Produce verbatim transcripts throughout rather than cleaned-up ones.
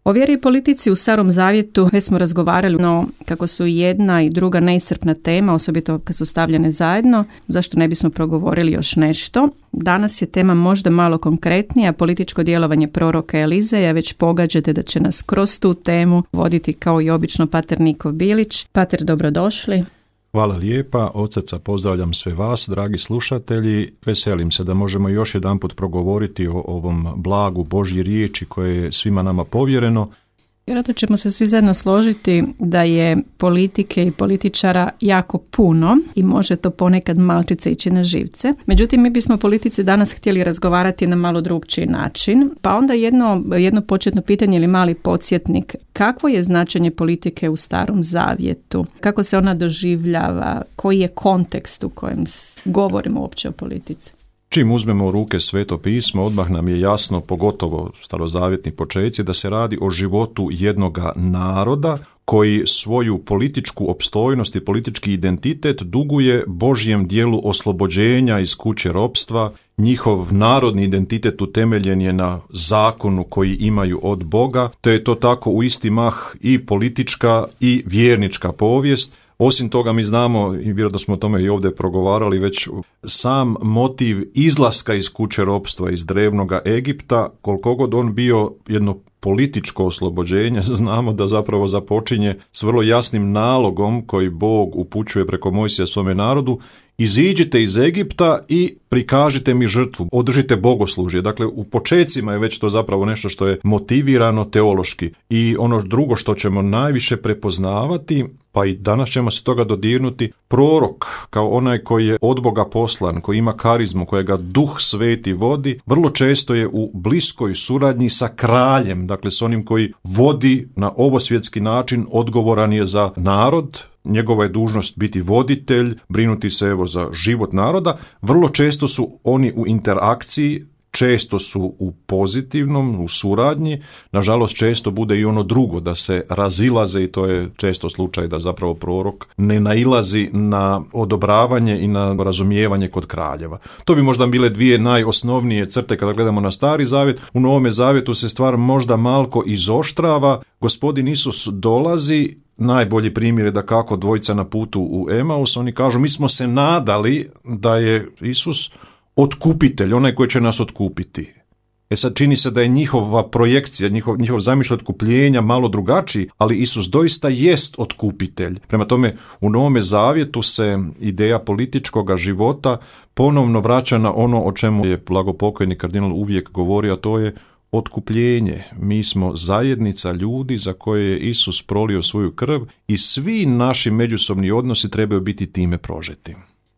O vjeri i politici u Starom Zavjetu već smo razgovarali, no kako su jedna i druga neiscrpna tema, osobito kad su stavljene zajedno, zašto ne bismo progovorili još nešto? Danas je tema možda malo konkretnija, političko djelovanje proroka Elizeja, već pogađate da će nas kroz tu temu voditi kao i obično pater Niko Bilić. Pater, dobrodošli. Hvala lijepa, od srca pozdravljam sve vas, dragi slušatelji. Veselim se da možemo još jedanput progovoriti o ovom blagu Božji riječi koje je svima nama povjereno. Vjerojatno ćemo se svi zajedno složiti da je politike i političara jako puno i može to ponekad malčice ići na živce. Međutim, mi bismo o politici danas htjeli razgovarati na malo drugčiji način. Pa onda jedno, jedno početno pitanje ili mali podsjetnik. Kakvo je značenje politike u Starom Zavjetu? Kako se ona doživljava? Koji je kontekst u kojem govorimo uopće o politici? Čim uzmemo u ruke Sveto pismo, odmah nam je jasno, pogotovo starozavjetni počeci, da se radi o životu jednoga naroda koji svoju političku opstojnost i politički identitet duguje Božjem dijelu oslobođenja iz kuće ropstva. Njihov narodni identitet utemeljen je na zakonu koji imaju od Boga, te je to tako u isti mah i politička i vjernička povijest. Osim toga mi znamo, i vjerojatno smo o tome i ovdje progovarali, već sam motiv izlaska iz kuće ropstva, iz drevnoga Egipta, koliko god on bio jedno političko oslobođenje, znamo da zapravo započinje s vrlo jasnim nalogom koji Bog upućuje preko Mojsija svome narodu: iziđite iz Egipta i prikažite mi žrtvu, održite bogoslužje. Dakle, u počecima je već to zapravo nešto što je motivirano teološki. I ono drugo što ćemo najviše prepoznavati, pa i danas ćemo se toga dodirnuti, prorok kao onaj koji je od Boga poslan, koji ima karizmu, kojega Duh Sveti vodi, vrlo često je u bliskoj suradnji sa kraljem, dakle s onim koji vodi na ovosvjetski način, odgovoran je za narod. Njegova je dužnost biti voditelj, brinuti se evo za život naroda. Vrlo često su oni u interakciji, često su u pozitivnom, u suradnji. Nažalost, često bude i ono drugo, da se razilaze, i to je često slučaj da zapravo prorok ne nailazi na odobravanje i na razumijevanje kod kraljeva. To bi možda bile dvije najosnovnije crte kada gledamo na Stari Zavjet. U Novome Zavjetu se stvar možda malko izoštrava. Gospodin Isus dolazi. Najbolji primjer je da kako dvojica na putu u Emaus, oni kažu: mi smo se nadali da je Isus otkupitelj, onaj koji će nas otkupiti. E sad čini se da je njihova projekcija, njihov, njihov zamišljaj otkupljenja malo drugačiji, ali Isus doista jest otkupitelj. Prema tome, u Novome Zavjetu se ideja političkog života ponovno vraća na ono o čemu je blagopokojni kardinal uvijek govorio, a to je otkupljenje. Mi smo zajednica ljudi za koje je Isus prolio svoju krv i svi naši međusobni odnosi trebaju biti time prožeti.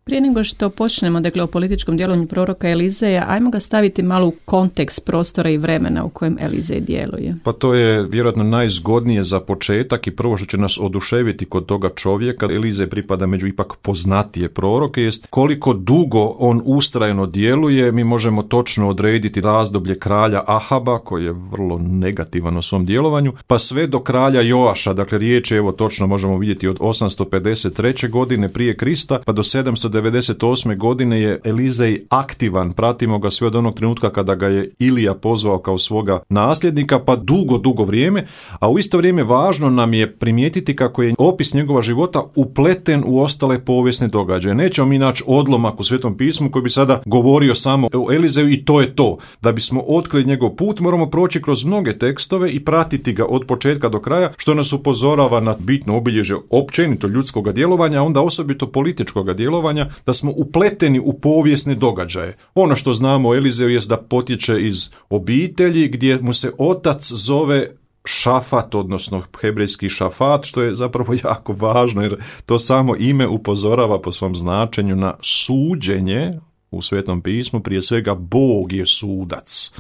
Prije nego što počnemo, dakle, o političkom djelovanju proroka Elizeja, ajmo ga staviti malo u kontekst prostora i vremena u kojem Elizej djeluje. Pa to je vjerojatno najzgodnije za početak i prvo što će nas oduševiti kod toga čovjeka. Elizej pripada među ipak poznatije proroke, jest koliko dugo on ustrajno djeluje. Mi možemo točno odrediti razdoblje kralja Ahaba, koji je vrlo negativan u svom djelovanju, pa sve do kralja Joaša. Dakle, riječ je, evo točno možemo vidjeti, od osamsto pedeset treće godine prije Krista pa do sedamsto devedeset osme godine je Elizej aktivan. Pratimo ga sve od onog trenutka kada ga je Ilija pozvao kao svoga nasljednika, pa dugo, dugo vrijeme. A u isto vrijeme važno nam je primijetiti kako je opis njegova života upleten u ostale povijesne događaje. Nećemo mi naći odlomak u Svetom pismu koji bi sada govorio samo o Elizeju i to je to. Da bismo otkrili njegov put, moramo proći kroz mnoge tekstove i pratiti ga od početka do kraja, što nas upozorava na bitno obilježje općenito ljudskog djelovanja, a onda osobito političkog djelovanja, da smo upleteni u povijesne događaje. Ono što znamo o Elizeju jest da potječe iz obitelji gdje mu se otac zove Šafat, odnosno hebrejski Šafat, što je zapravo jako važno jer to samo ime upozorava po svom značenju na suđenje u Svetom pismu. Prije svega Bog je sudac.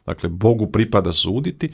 Dakle, Bogu pripada suditi.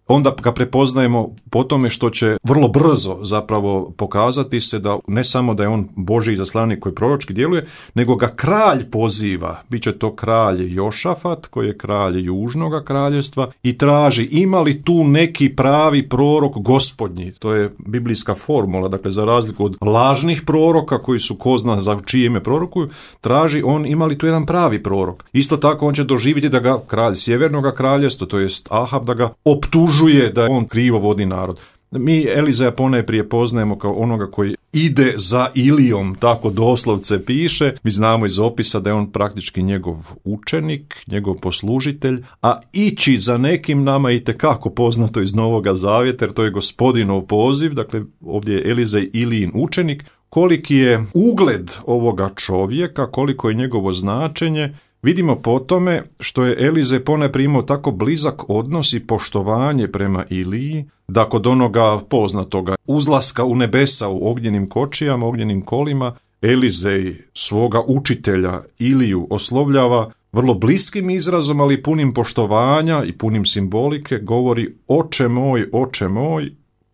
Onda ga prepoznajemo po tome što će vrlo brzo zapravo pokazati se da ne samo da je on Božji izaslanik koji proročki djeluje, nego ga kralj poziva. Biće to kralj Jošafat, koji je kralj Južnoga kraljevstva, i traži ima li tu neki pravi prorok gospodnji. To je biblijska formula, dakle za razliku od lažnih proroka koji su ko zna za čije ime prorokuju, traži on ima li tu jedan pravi prorok. Isto tako on će doživjeti da ga kralj Sjevernoga kraljevstva, to jest Ahab, da ga optužuje optužuje da on krivo vodi narod. Mi Elizeja ponajprije poznajemo kao onoga koji ide za Ilijom, tako doslovce piše. Mi znamo iz opisa da je on praktički njegov učenik, njegov poslužitelj, a ići za nekim nama je itekako poznato iz Novoga Zavjeta, jer to je Gospodinov poziv, dakle ovdje je Elizej Ilijin učenik. Koliki je ugled ovoga čovjeka, koliko je njegovo značenje, vidimo po tome što je Elizej ponajprije imao tako blizak odnos i poštovanje prema Iliji, da kod onoga poznatoga uzlaska u nebesa u ognjenim kočijama, ognjenim kolima, Elizej svoga učitelja Iliju oslovljava vrlo bliskim izrazom, ali punim poštovanja i punim simbolike, govori: oče moj, oče moj,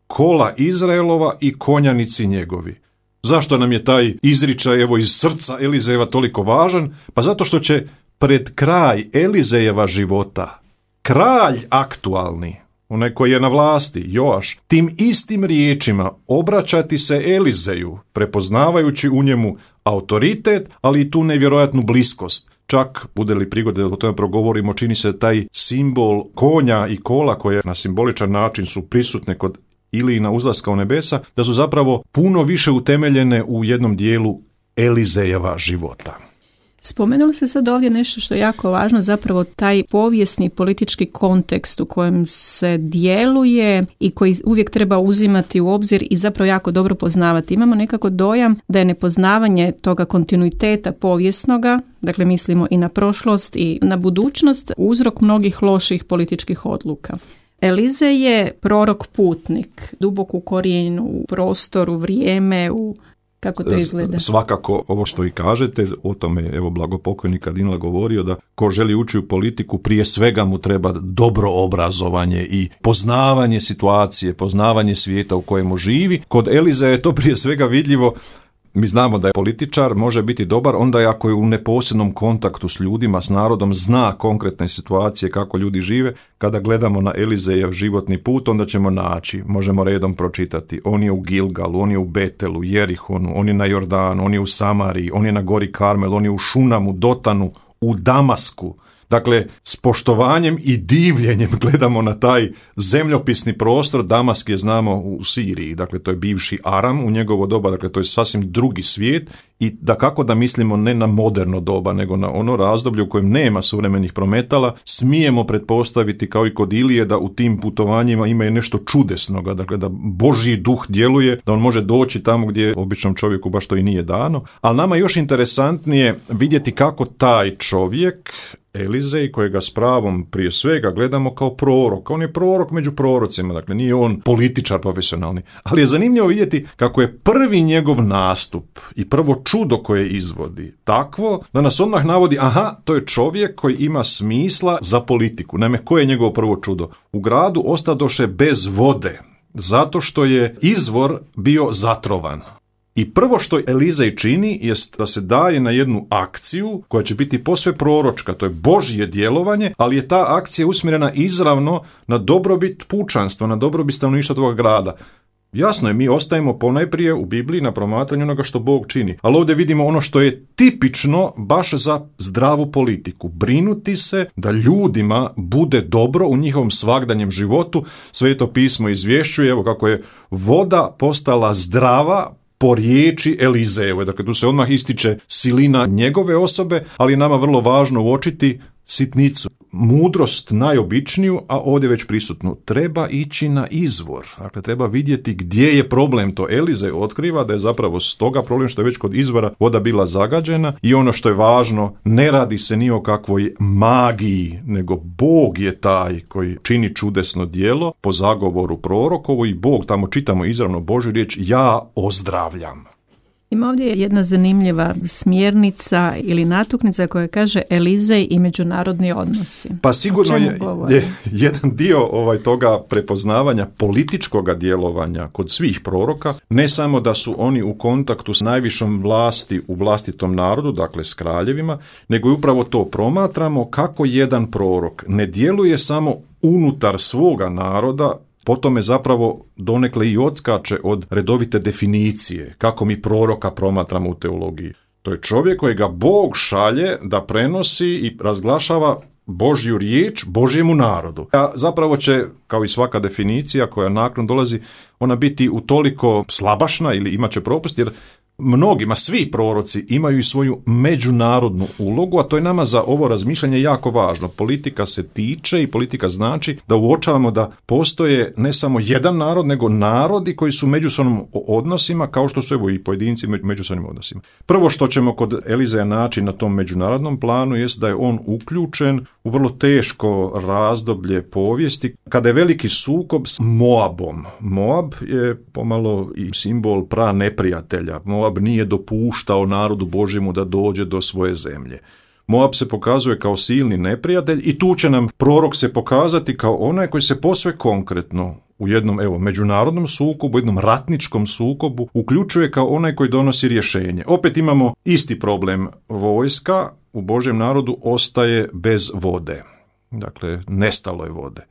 kola Izraelova i konjanici njegovi. Zašto nam je taj izričaj evo iz srca Elizejeva toliko važan? Pa zato što će pred kraj Elizejeva života kralj aktualni, onaj koji je na vlasti, Joaš, tim istim riječima obraćati se Elizeju, prepoznavajući u njemu autoritet, ali i tu nevjerojatnu bliskost. Čak, bude li prigode da o tome progovorimo, čini se taj simbol konja i kola koje na simboličan način su prisutne kod Ilijina uzlaska u nebesa, da su zapravo puno više utemeljene u jednom dijelu Elizejeva života. Spomenuli se sad ovdje nešto što je jako važno, zapravo taj povijesni politički kontekst u kojem se djeluje i koji uvijek treba uzimati u obzir i zapravo jako dobro poznavati. Imamo nekako dojam da je nepoznavanje toga kontinuiteta povijesnoga, dakle mislimo i na prošlost i na budućnost, uzrok mnogih loših političkih odluka. Elizej je prorok putnik, dubok u korijenu, u prostoru, vrijeme, u kako to izgleda? Svakako, ovo što i kažete, o tome evo blagopokojni kardinal govorio, da ko želi ući u politiku, prije svega mu treba dobro obrazovanje i poznavanje situacije, poznavanje svijeta u kojemu živi. Kod Elizeja je to prije svega vidljivo. Mi znamo da je političar može biti dobar onda je ako je u neposrednom kontaktu s ljudima, s narodom, zna konkretne situacije kako ljudi žive. Kada gledamo na Elizejev životni put, onda ćemo naći, možemo redom pročitati. On je u Gilgalu, on je u Betelu, Jerihonu, on je na Jordanu, on je u Samariji, on je na gori Karmel, on je u Šunamu, Dotanu, u Damasku. Dakle, s poštovanjem i divljenjem gledamo na taj zemljopisni prostor. Damask je, znamo, u Siriji, dakle to je bivši Aram u njegovo doba, dakle to je sasvim drugi svijet i da kako da mislimo ne na moderno doba, nego na ono razdoblje u kojem nema suvremenih prometala, smijemo pretpostaviti kao i kod Ilije da u tim putovanjima ima i nešto čudesnoga, dakle da Božji duh djeluje, da on može doći tamo gdje običnom čovjeku baš to i nije dano, ali nama je još interesantnije vidjeti kako taj čovjek Elizej, kojega s pravom prije svega gledamo kao prorok. On je prorok među prorocima, dakle nije on političar profesionalni. Ali je zanimljivo vidjeti kako je prvi njegov nastup i prvo čudo koje izvodi takvo da nas odmah navodi, aha, to je čovjek koji ima smisla za politiku. Naime, koje je njegovo prvo čudo? U gradu ostadoše bez vode, zato što je izvor bio zatrovan. I prvo što Elizej čini jest da se daje na jednu akciju koja će biti posve proročka, to je Božje djelovanje, ali je ta akcija usmjerena izravno na dobrobit pučanstva, na dobrobit stanovništva toga grada. Jasno je, mi ostajemo ponajprije u Bibliji na promatranju onoga što Bog čini, ali ovdje vidimo ono što je tipično baš za zdravu politiku. Brinuti se da ljudima bude dobro u njihovom svagdanjem životu. Sveto pismo izvješćuje, evo kako je voda postala zdrava po riječi Elizejeve. Dakle, tu se odmah ističe silina njegove osobe, ali je nama vrlo važno uočiti sitnicu. Mudrost najobičniju, a ovdje već prisutnu. Treba ići na izvor. Dakle, treba vidjeti gdje je problem. To Elizej otkriva da je zapravo stoga problem što je već kod izvora voda bila zagađena i ono što je važno, ne radi se ni o kakvoj magiji, nego Bog je taj koji čini čudesno djelo po zagovoru prorokovu i Bog, tamo čitamo izravno Božju riječ, ja ozdravljam. Ima ovdje jedna zanimljiva smjernica ili natuknica koja kaže Elizej i međunarodni odnosi. Pa sigurno je, je jedan dio ovaj toga prepoznavanja političkog djelovanja kod svih proroka, ne samo da su oni u kontaktu s najvišom vlasti u vlastitom narodu, dakle s kraljevima, nego i upravo to promatramo kako jedan prorok ne djeluje samo unutar svoga naroda, potom je zapravo donekle i odskače od redovite definicije, kako mi proroka promatramo u teologiji. To je čovjek kojega Bog šalje da prenosi i razglašava Božju riječ Božjemu narodu. A zapravo će, kao i svaka definicija koja nakon dolazi, ona biti utoliko slabašna ili imat će propust, jer mnogima, svi proroci imaju i svoju međunarodnu ulogu, a to je nama za ovo razmišljanje jako važno. Politika se tiče i politika znači da uočavamo da postoje ne samo jedan narod, nego narodi koji su u međusobnim odnosima, kao što su evo i pojedinci u međusobnim odnosima. Prvo što ćemo kod Elizeja naći na tom međunarodnom planu jest da je on uključen u vrlo teško razdoblje povijesti, kada je veliki sukob s Moabom. Moab je pomalo i simbol pra neprijatelja. Moab nije dopuštao narodu Božjemu da dođe do svoje zemlje. Moab se pokazuje kao silni neprijatelj i tu će nam prorok se pokazati kao onaj koji se posve konkretno u jednom evo međunarodnom sukobu, jednom ratničkom sukobu uključuje kao onaj koji donosi rješenje. Opet imamo isti problem. Vojska u Božjem narodu ostaje bez vode. Dakle, nestalo je vode.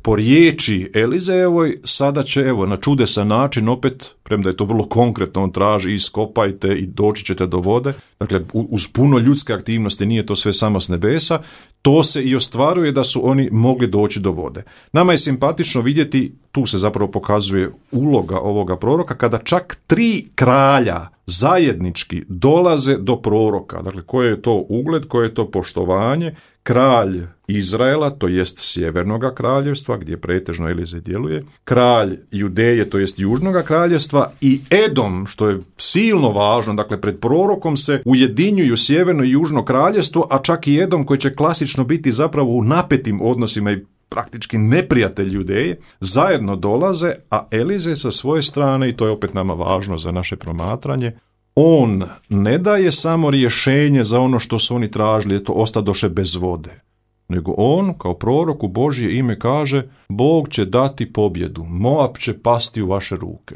Po riječi Elizejevoj sada će evo na čudesan način opet, premda je to vrlo konkretno, on traži iskopajte i doći ćete do vode, dakle uz puno ljudske aktivnosti, nije to sve samo s nebesa, to se i ostvaruje da su oni mogli doći do vode. Nama je simpatično vidjeti, tu se zapravo pokazuje uloga ovoga proroka, kada čak tri kralja zajednički dolaze do proroka. Dakle, koje je to ugled, koje je to poštovanje. Kralj Izraela, to jest sjevernoga kraljevstva, gdje pretežno Elizej djeluje, kralj Judeje, to jest južnoga kraljevstva, i Edom, što je silno važno, dakle pred prorokom se ujedinjuju sjeverno i južno kraljevstvo, a čak i Edom koji će klasično biti zapravo u napetim odnosima i praktički neprijatelj Judeje, zajedno dolaze, a Elizej sa svoje strane, i to je opet nama važno za naše promatranje, on ne daje samo rješenje za ono što su oni tražili, to ostadoše bez vode, nego on, kao prorok u Božje ime kaže, Bog će dati pobjedu, Moab će pasti u vaše ruke.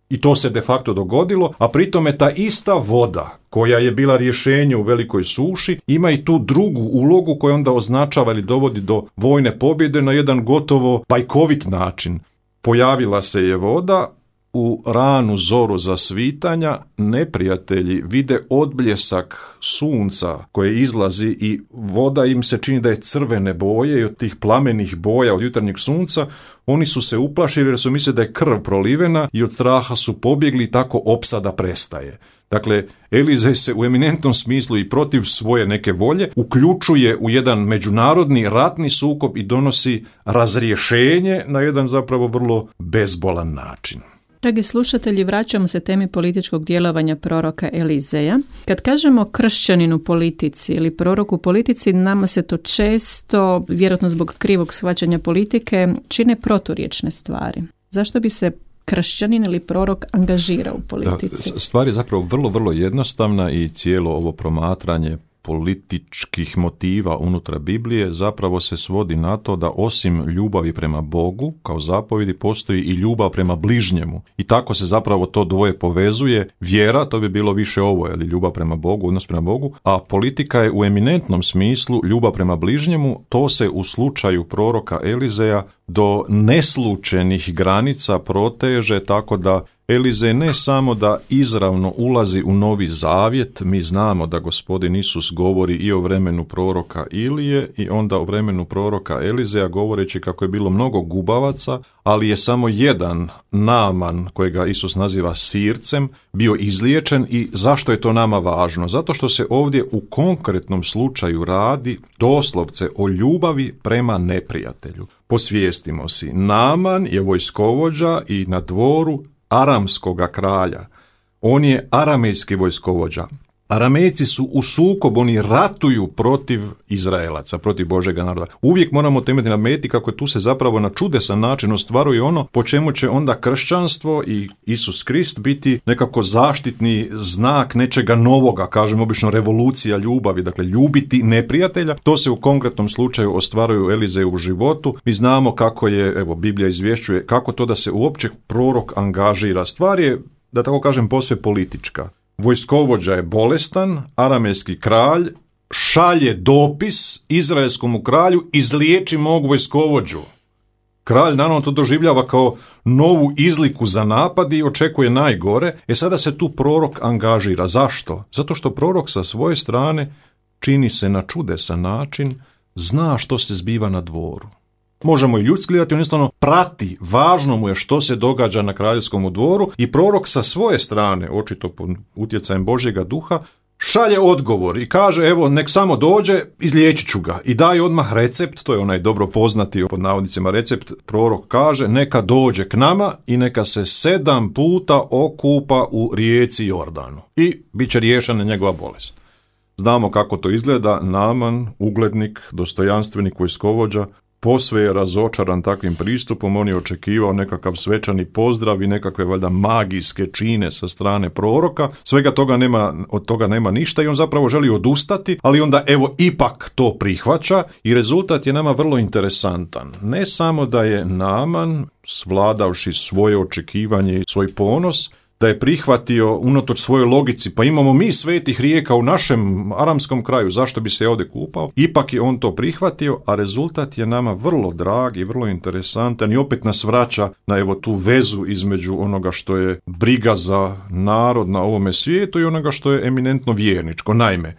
I to se de facto dogodilo, a pritome ta ista voda koja je bila rješenje u velikoj suši, ima i tu drugu ulogu koja onda označava ili dovodi do vojne pobjede na jedan gotovo bajkovit način. Pojavila se je voda, u ranu zoru zasvitanja neprijatelji vide odbljesak sunca koje izlazi i voda im se čini da je crvene boje i od tih plamenih boja od jutarnjeg sunca oni su se uplašili jer su mislili da je krv prolivena i od straha su pobjegli i tako opsada prestaje. Dakle, Elizej se u eminentnom smislu i protiv svoje neke volje uključuje u jedan međunarodni ratni sukob i donosi razrješenje na jedan zapravo vrlo bezbolan način. Dragi slušatelji, vraćamo se temi političkog djelovanja proroka Elizeja. Kad kažemo kršćanin u politici ili prorok u politici, nama se to često, vjerojatno zbog krivog shvaćanja politike, čine proturječne stvari. Zašto bi se kršćanin ili prorok angažirao u politici? Da, stvar je zapravo vrlo, vrlo jednostavna i cijelo ovo promatranje političkih motiva unutar Biblije zapravo se svodi na to da osim ljubavi prema Bogu kao zapovjedi postoji i ljubav prema bližnjemu. I tako se zapravo to dvoje povezuje. Vjera, to bi bilo više ovo, ili ljubav prema Bogu, odnos prema Bogu, a politika je u eminentnom smislu ljubav prema bližnjemu. To se u slučaju proroka Elizeja do neslučenih granica proteže, tako da Elizej ne samo da izravno ulazi u Novi Zavjet, mi znamo da Gospodin Isus govori i o vremenu proroka Ilije i onda o vremenu proroka Elizeja, govoreći kako je bilo mnogo gubavaca, ali je samo jedan Naaman, kojega Isus naziva sircem, bio izliječen. I zašto je to nama važno? Zato što se ovdje u konkretnom slučaju radi doslovce o ljubavi prema neprijatelju. Posvijestimo si, Naaman je vojskovođa i na dvoru aramskoga kralja. On je aramejski vojskovođa. Aramejci su u sukobu, oni ratuju protiv Izraelaca, protiv Božjega naroda. Uvijek moramo temeljiti na meti kako tu se zapravo na čudesan način ostvaruje ono po čemu će onda kršćanstvo i Isus Krist biti nekako zaštitni znak nečega novoga, kažem obično revolucija ljubavi, dakle ljubiti neprijatelja. To se u konkretnom slučaju ostvaruje u Elizeju u životu. Mi znamo kako je, evo Biblija izvješćuje, kako to da se uopće prorok angažira. Stvar je, da tako kažem, posve politička. Vojskovođa je bolestan, aramejski kralj šalje dopis izraelskom kralju, izliječi mog vojskovođu. Kralj naravno to doživljava kao novu izliku za napad i očekuje najgore. E sada se tu prorok angažira. Zašto? Zato što prorok sa svoje strane čini se na čudesan način zna što se zbiva na dvoru. Možemo i ljudski gledati, on jednostavno prati, važno mu je što se događa na kraljevskom dvoru i prorok sa svoje strane, očito pod utjecajem Božjega duha, šalje odgovor i kaže, evo, nek samo dođe, izliječit ću ga. I daje odmah recept, to je onaj dobro poznati, pod navodnicima recept, prorok kaže, neka dođe k nama i neka se sedam puta okupa u rijeci Jordanu. I bit će riješena njegova bolest. Znamo kako to izgleda, Naaman, uglednik, dostojanstvenik, vojskovođa, posve je razočaran takvim pristupom, on je očekivao nekakav svečani pozdrav i nekakve valjda magijske čine sa strane proroka, svega toga nema, od toga nema ništa i on zapravo želi odustati, ali onda evo ipak to prihvaća i rezultat je nama vrlo interesantan. Ne samo da je Naaman, svladavši svoje očekivanje i svoj ponos, da je prihvatio unatoč svojoj logici, pa imamo mi svetih rijeka u našem aramskom kraju, zašto bi se ovdje kupao? Ipak je on to prihvatio, a rezultat je nama vrlo drag i vrlo interesantan i opet nas vraća na evo tu vezu između onoga što je briga za narod na ovome svijetu i onoga što je eminentno vjerničko. Naime,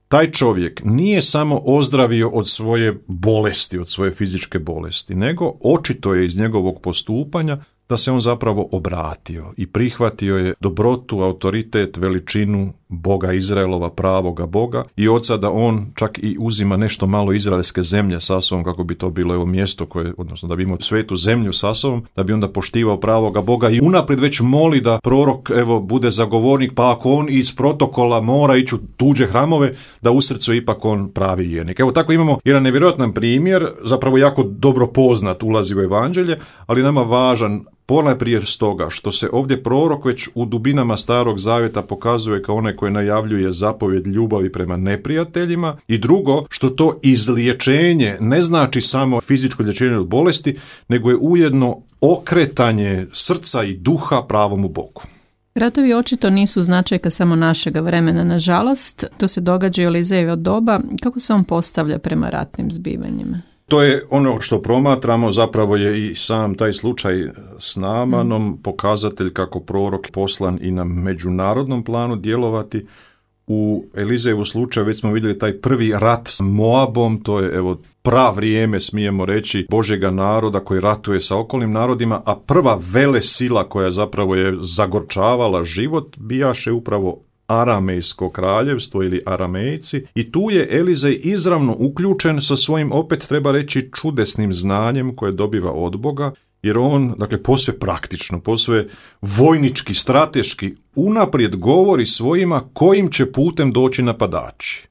taj čovjek nije samo ozdravio od svoje bolesti, od svoje fizičke bolesti, nego očito je iz njegovog postupanja da se on zapravo obratio i prihvatio je dobrotu, autoritet, veličinu Boga Izraelova, pravoga Boga i od sada on čak i uzima nešto malo izraelske zemlje sa sobom kako bi to bilo evo mjesto koje, odnosno da bi imao svetu zemlju sa sobom, da bi onda poštivao pravoga Boga i unaprijed već moli da prorok evo bude zagovornik, pa ako on iz protokola mora ići u tuđe hramove, da u srcu ipak on pravi vjernik. Evo tako imamo jedan nevjerojatan primjer, zapravo jako dobro poznat, ulazi u evanđelje, ali nama važan ponajprije stoga što se ovdje prorok već u dubinama Starog zavjeta pokazuje kao onaj koji najavljuje zapovjed ljubavi prema neprijateljima i drugo što to izliječenje ne znači samo fizičko liječenje od bolesti, nego je ujedno okretanje srca i duha pravomu Bogu. Ratovi očito nisu značajka samo našega vremena, nažalost. To se događa i u Elizejevo doba. Kako se on postavlja prema ratnim zbivanjima? To je ono što promatramo, zapravo je i sam taj slučaj s Naamanom pokazatelj kako prorok poslan i na međunarodnom planu djelovati. U Elizejevu slučaju već smo vidjeli taj prvi rat s Moabom, to je evo pravrijeme, smijemo reći, Božjega naroda koji ratuje sa okolnim narodima, a prva velesila koja zapravo je zagorčavala život bijaše upravo Aramejsko kraljevstvo ili Aramejci i tu je Elizej izravno uključen sa svojim, opet treba reći, čudesnim znanjem koje dobiva od Boga, jer on, dakle, posve praktično, posve vojnički, strateški, unaprijed govori svojima kojim će putem doći napadači.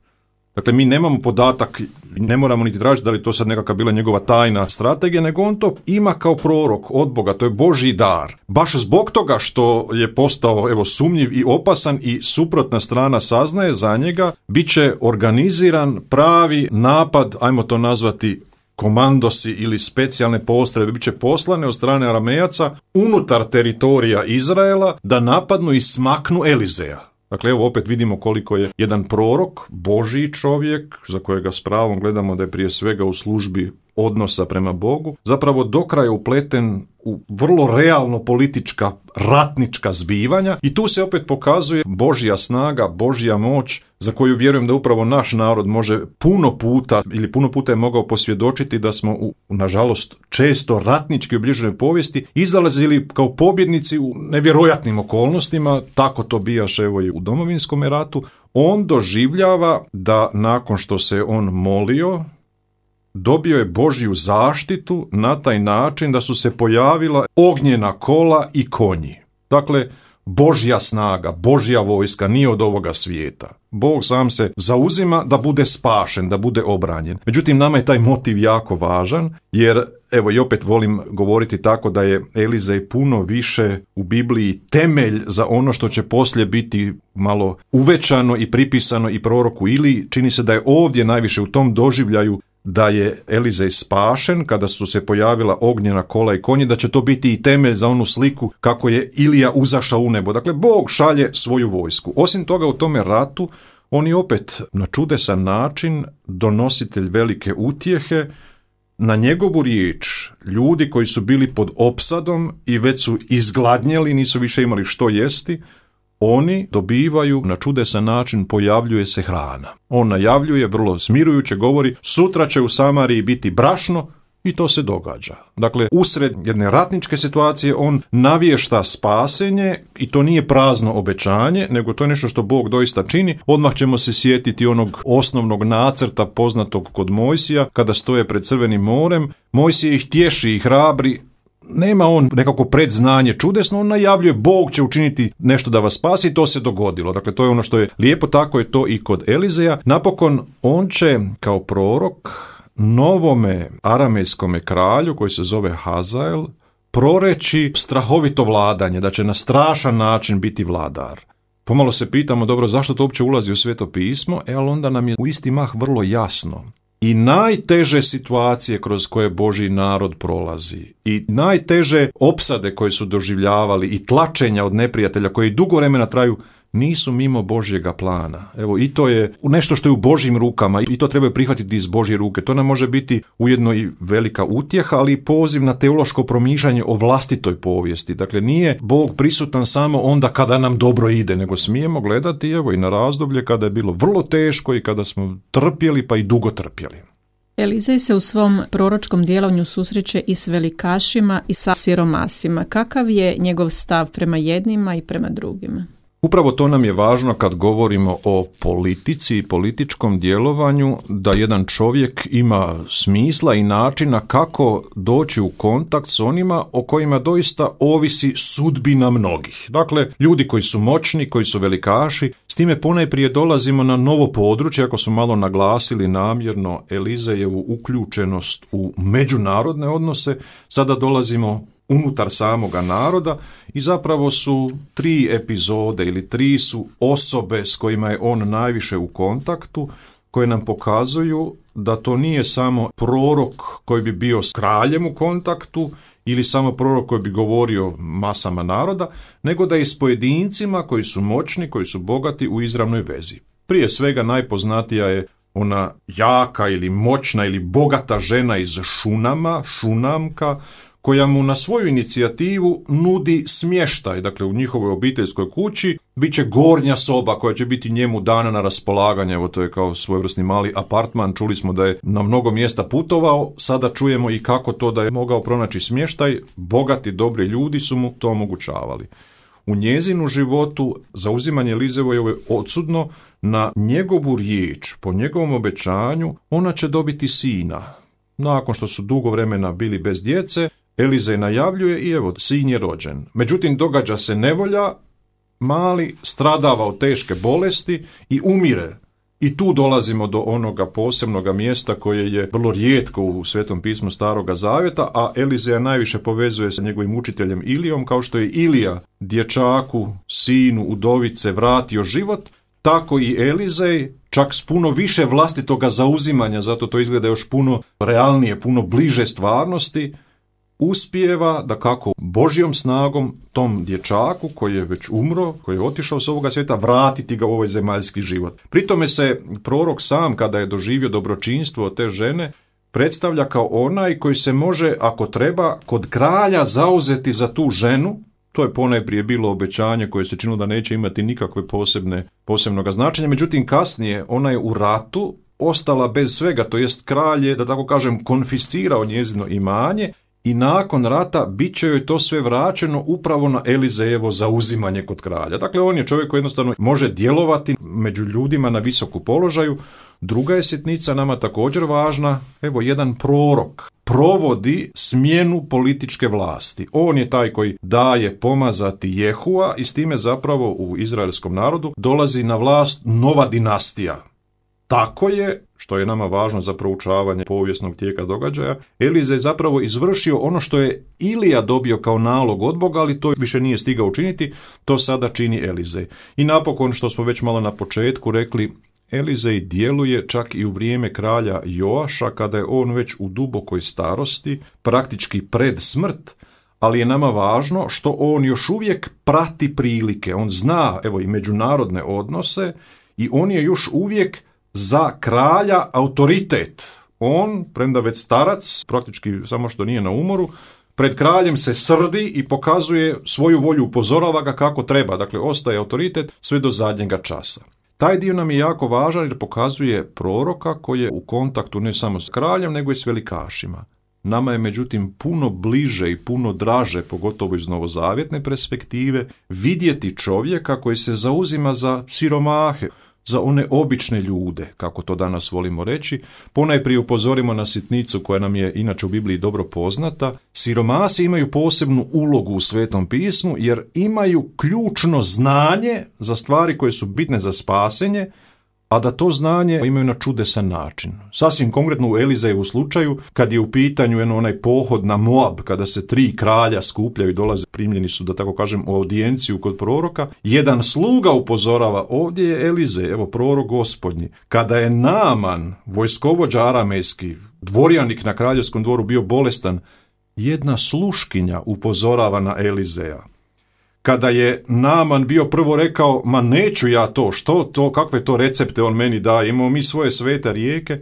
Dakle, mi nemamo podatak, ne moramo niti tražiti da li to sad nekakva bila njegova tajna strategija, nego on to ima kao prorok od Boga, to je Božji dar. Baš zbog toga što je postao evo sumnjiv i opasan i suprotna strana saznaje za njega, bit će organiziran pravi napad, ajmo to nazvati komandosi ili specijalne postrojbe, bit će poslane od strane Aramejaca unutar teritorija Izraela da napadnu i smaknu Elizeja. Dakle, evo opet vidimo koliko je jedan prorok, Božji čovjek, za kojega s pravom gledamo da je prije svega u službi odnosa prema Bogu, zapravo do kraja upleten u vrlo realno politička, ratnička zbivanja i tu se opet pokazuje Božja snaga, Božja moć za koju vjerujem da upravo naš narod može puno puta ili puno puta je mogao posvjedočiti da smo u, nažalost, često ratnički obilježenoj povijesti izlazili kao pobjednici u nevjerojatnim okolnostima, tako to bijaše evo i u Domovinskom ratu. On doživljava da nakon što se on molio, dobio je Božju zaštitu na taj način da su se pojavila ognjena kola i konji. Dakle, Božja snaga, Božja vojska nije od ovoga svijeta. Bog sam se zauzima da bude spašen, da bude obranjen. Međutim, nama je taj motiv jako važan, jer evo i opet volim govoriti tako da je Elizej puno više u Bibliji temelj za ono što će poslije biti malo uvećano i pripisano i proroku Iliji. Čini se da je ovdje najviše u tom doživljaju da je Elizej spašen kada su se pojavila ognjena kola i konji, da će to biti i temelj za onu sliku kako je Ilija uzašao u nebo. Dakle, Bog šalje svoju vojsku. Osim toga, u tome ratu on je opet na čudesan način donositelj velike utjehe. Na njegovu riječ ljudi koji su bili pod opsadom i već su izgladnjeli, nisu više imali što jesti, oni dobivaju na čudesan način, pojavljuje se hrana. On najavljuje, vrlo smirujuće govori, sutra će u Samariji biti brašno, i to se događa. Dakle, usred jedne ratničke situacije on navješta spasenje i to nije prazno obećanje, nego to je nešto što Bog doista čini. Odmah ćemo se sjetiti onog osnovnog nacrta poznatog kod Mojsija, kada stoje pred Crvenim morem. Mojsije ih tješi i hrabri. Nema on nekako predznanje čudesno, on najavljuje Bog će učiniti nešto da vas spasi i to se dogodilo. Dakle, to je ono što je lijepo, tako je to i kod Elizeja. Napokon, on će kao prorok novome aramejskome kralju koji se zove Hazael proreći strahovito vladanje, da će na strašan način biti vladar. Pomalo se pitamo, dobro, zašto to uopće ulazi u Sveto pismo, e, ali onda nam je u isti mah vrlo jasno. I najteže situacije kroz koje Božji narod prolazi i najteže opsade koje su doživljavali i tlačenja od neprijatelja koji dugo vremena traju, nisu mimo Božjega plana. Evo, i to je nešto što je u Božjim rukama i to treba prihvatiti iz Božje ruke. To nam može biti ujedno i velika utjeha, ali i poziv na teološko promišljanje o vlastitoj povijesti. Dakle, nije Bog prisutan samo onda kada nam dobro ide, nego smijemo gledati, evo, i na razdoblje kada je bilo vrlo teško i kada smo trpjeli, pa i dugo trpjeli. Elizej se u svom proročkom djelovanju susreće i s velikašima i sa siromasima. Kakav je njegov stav prema jednima i prema drugima? Upravo to nam je važno kad govorimo o politici i političkom djelovanju, da jedan čovjek ima smisla i načina kako doći u kontakt s onima o kojima doista ovisi sudbina mnogih. Dakle, ljudi koji su moćni, koji su velikaši, s time ponajprije dolazimo na novo područje, ako su malo naglasili namjerno Elizejevu uključenost u međunarodne odnose, sada dolazimo unutar samoga naroda i zapravo su tri epizode ili tri su osobe s kojima je on najviše u kontaktu, koje nam pokazuju da to nije samo prorok koji bi bio s kraljem u kontaktu ili samo prorok koji bi govorio masama naroda, nego da je s pojedincima koji su moćni, koji su bogati u izravnoj vezi. Prije svega najpoznatija je ona jaka ili moćna ili bogata žena iz Šunama, Šunamka, koja mu na svoju inicijativu nudi smještaj. Dakle, u njihovoj obiteljskoj kući bit će gornja soba koja će biti njemu dana na raspolaganje. Evo, to je kao svojevrsni mali apartman. Čuli smo da je na mnogo mjesta putovao, sada čujemo i kako to da je mogao pronaći smještaj. Bogati, dobri ljudi su mu to omogućavali. U njezinu životu zauzimanje Elizejeve je odsudno. Na njegovu riječ, po njegovom obećanju, ona će dobiti sina. Nakon što su dugo vremena bili bez djece, Elizej najavljuje i evo, sin je rođen. Međutim, događa se nevolja, mali stradava od teške bolesti i umire. I tu dolazimo do onoga posebnoga mjesta koje je vrlo rijetko u Svetom pismu Staroga Zavjeta, a Elizeja najviše povezuje sa njegovim učiteljem Ilijom, kao što je Ilija dječaku, sinu, udovice vratio život, tako i Elizej, čak s puno više vlastitoga zauzimanja, zato to izgleda još puno realnije, puno bliže stvarnosti, uspijeva da kako Božjom snagom tom dječaku koji je već umro, koji je otišao s ovoga svijeta, vratiti ga u ovaj zemaljski život. Pri tome se prorok sam, kada je doživio dobročinstvo od te žene, predstavlja kao onaj koji se može, ako treba, kod kralja zauzeti za tu ženu. To je ponajprije bilo obećanje koje se činilo da neće imati nikakve posebne, posebnoga značenja. Međutim, kasnije ona je u ratu ostala bez svega, to jest kralj je, da tako kažem, konfiscirao njezino imanje i nakon rata bit će joj to sve vraćeno upravo na Elizejevo zauzimanje kod kralja. Dakle, on je čovjek koji jednostavno može djelovati među ljudima na visoku položaju. Druga je sitnica nama također važna, evo jedan prorok provodi smjenu političke vlasti. On je taj koji daje pomazati Jehua i s time zapravo u izraelskom narodu dolazi na vlast nova dinastija. Tako je, što je nama važno za proučavanje povijesnog tijeka događaja, Elizej zapravo izvršio ono što je Ilija dobio kao nalog od Boga, ali to više nije stigao učiniti, to sada čini Elizej. I napokon, što smo već malo na početku rekli, Elizej djeluje čak i u vrijeme kralja Joaša, kada je on već u dubokoj starosti, praktički pred smrt, ali je nama važno što on još uvijek prati prilike. On zna, evo, i međunarodne odnose i on je još uvijek za kralja autoritet. On, premda već starac, praktički samo što nije na umoru, pred kraljem se srdi i pokazuje svoju volju, upozorava ga kako treba, dakle ostaje autoritet sve do zadnjega časa. Taj dio nam je jako važan jer pokazuje proroka koji je u kontaktu ne samo s kraljem, nego i s velikašima. Nama je međutim puno bliže i puno draže, pogotovo iz novozavjetne perspektive, vidjeti čovjeka koji se zauzima za siromahe, za one obične ljude, kako to danas volimo reći. Ponajprije upozorimo na sitnicu koja nam je inače u Bibliji dobro poznata. Siromasi imaju posebnu ulogu u Svetom pismu jer imaju ključno znanje za stvari koje su bitne za spasenje, a da to znanje imaju na čudesan način. Sasvim konkretno u Elizejevu slučaju, kad je u pitanju jedno onaj pohod na Moab, kada se tri kralja skupljaju i dolaze, primljeni su, da tako kažem, u audijenciju kod proroka, jedan sluga upozorava, ovdje je Elizej, evo prorok gospodnji. Kada je Naaman, vojskovođa aramejski, dvorjanik na kraljevskom dvoru, bio bolestan, jedna sluškinja upozorava na Elizeja. Kada je Naaman bio prvo rekao, ma neću ja to, što to, kakve to recepte on meni daje, imamo mi svoje svete rijeke,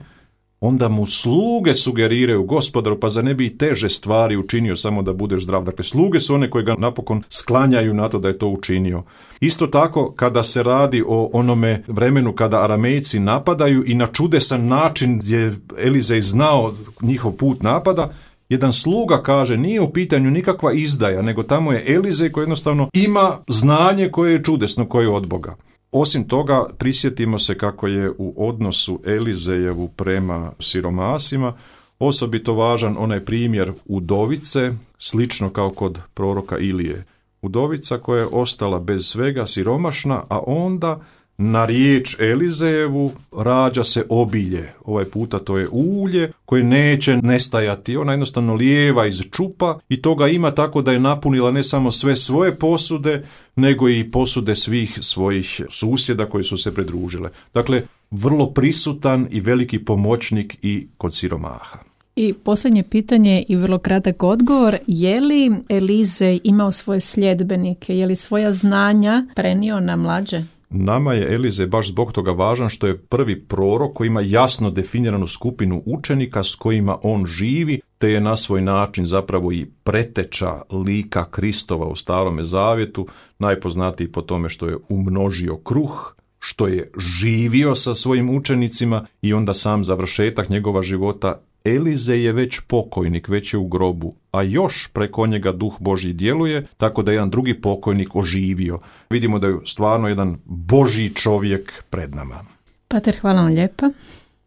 onda mu sluge sugeriraju, gospodaru, pa za ne bi i teže stvari učinio samo da budeš zdrav. Dakle, sluge su one koje ga napokon sklanjaju na to da je to učinio. Isto tako, kada se radi o onome vremenu kada Aramejci napadaju i na čudesan način je Elizej znao njihov put napada, jedan sluga kaže, nije u pitanju nikakva izdaja, nego tamo je Elizej koji jednostavno ima znanje koje je čudesno, koje je od Boga. Osim toga, prisjetimo se kako je u odnosu Elizejevu prema siromasima osobito važan onaj primjer udovice, slično kao kod proroka Ilije. Udovica koja je ostala bez svega, siromašna, a onda na riječ Elizejevu rađa se obilje. Ovaj puta to je ulje koje neće nestajati. Ona jednostavno lijeva iz čupa i toga ima tako da je napunila ne samo sve svoje posude, nego i posude svih svojih susjeda koji su se pridružile. Dakle, vrlo prisutan i veliki pomoćnik i kod siromaha. I posljednje pitanje i vrlo kratak odgovor, je li Elizej imao svoje sljedbenike, je li svoja znanja prenio na mlađe? Nama je Elizej baš zbog toga važan što je prvi prorok koji ima jasno definiranu skupinu učenika s kojima on živi, te je na svoj način zapravo i preteča lika Kristova u Starome zavjetu, najpoznatiji po tome što je umnožio kruh, što je živio sa svojim učenicima i onda sam završetak njegova života. Elizej je već pokojnik, već je u grobu, a još preko njega duh Božji djeluje, tako da je jedan drugi pokojnik oživio. Vidimo da je stvarno jedan Božji čovjek pred nama. Pater, hvala vam lijepa.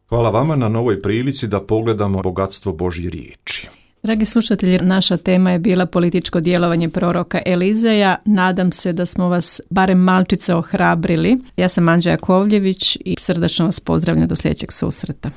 Hvala vama na novoj prilici da pogledamo bogatstvo Božje riječi. Dragi slušatelji, naša tema je bila političko djelovanje proroka Elizeja. Nadam se da smo vas barem malčice ohrabrili. Ja sam Anđa Jakovljević i srdačno vas pozdravljam do sljedećeg susreta.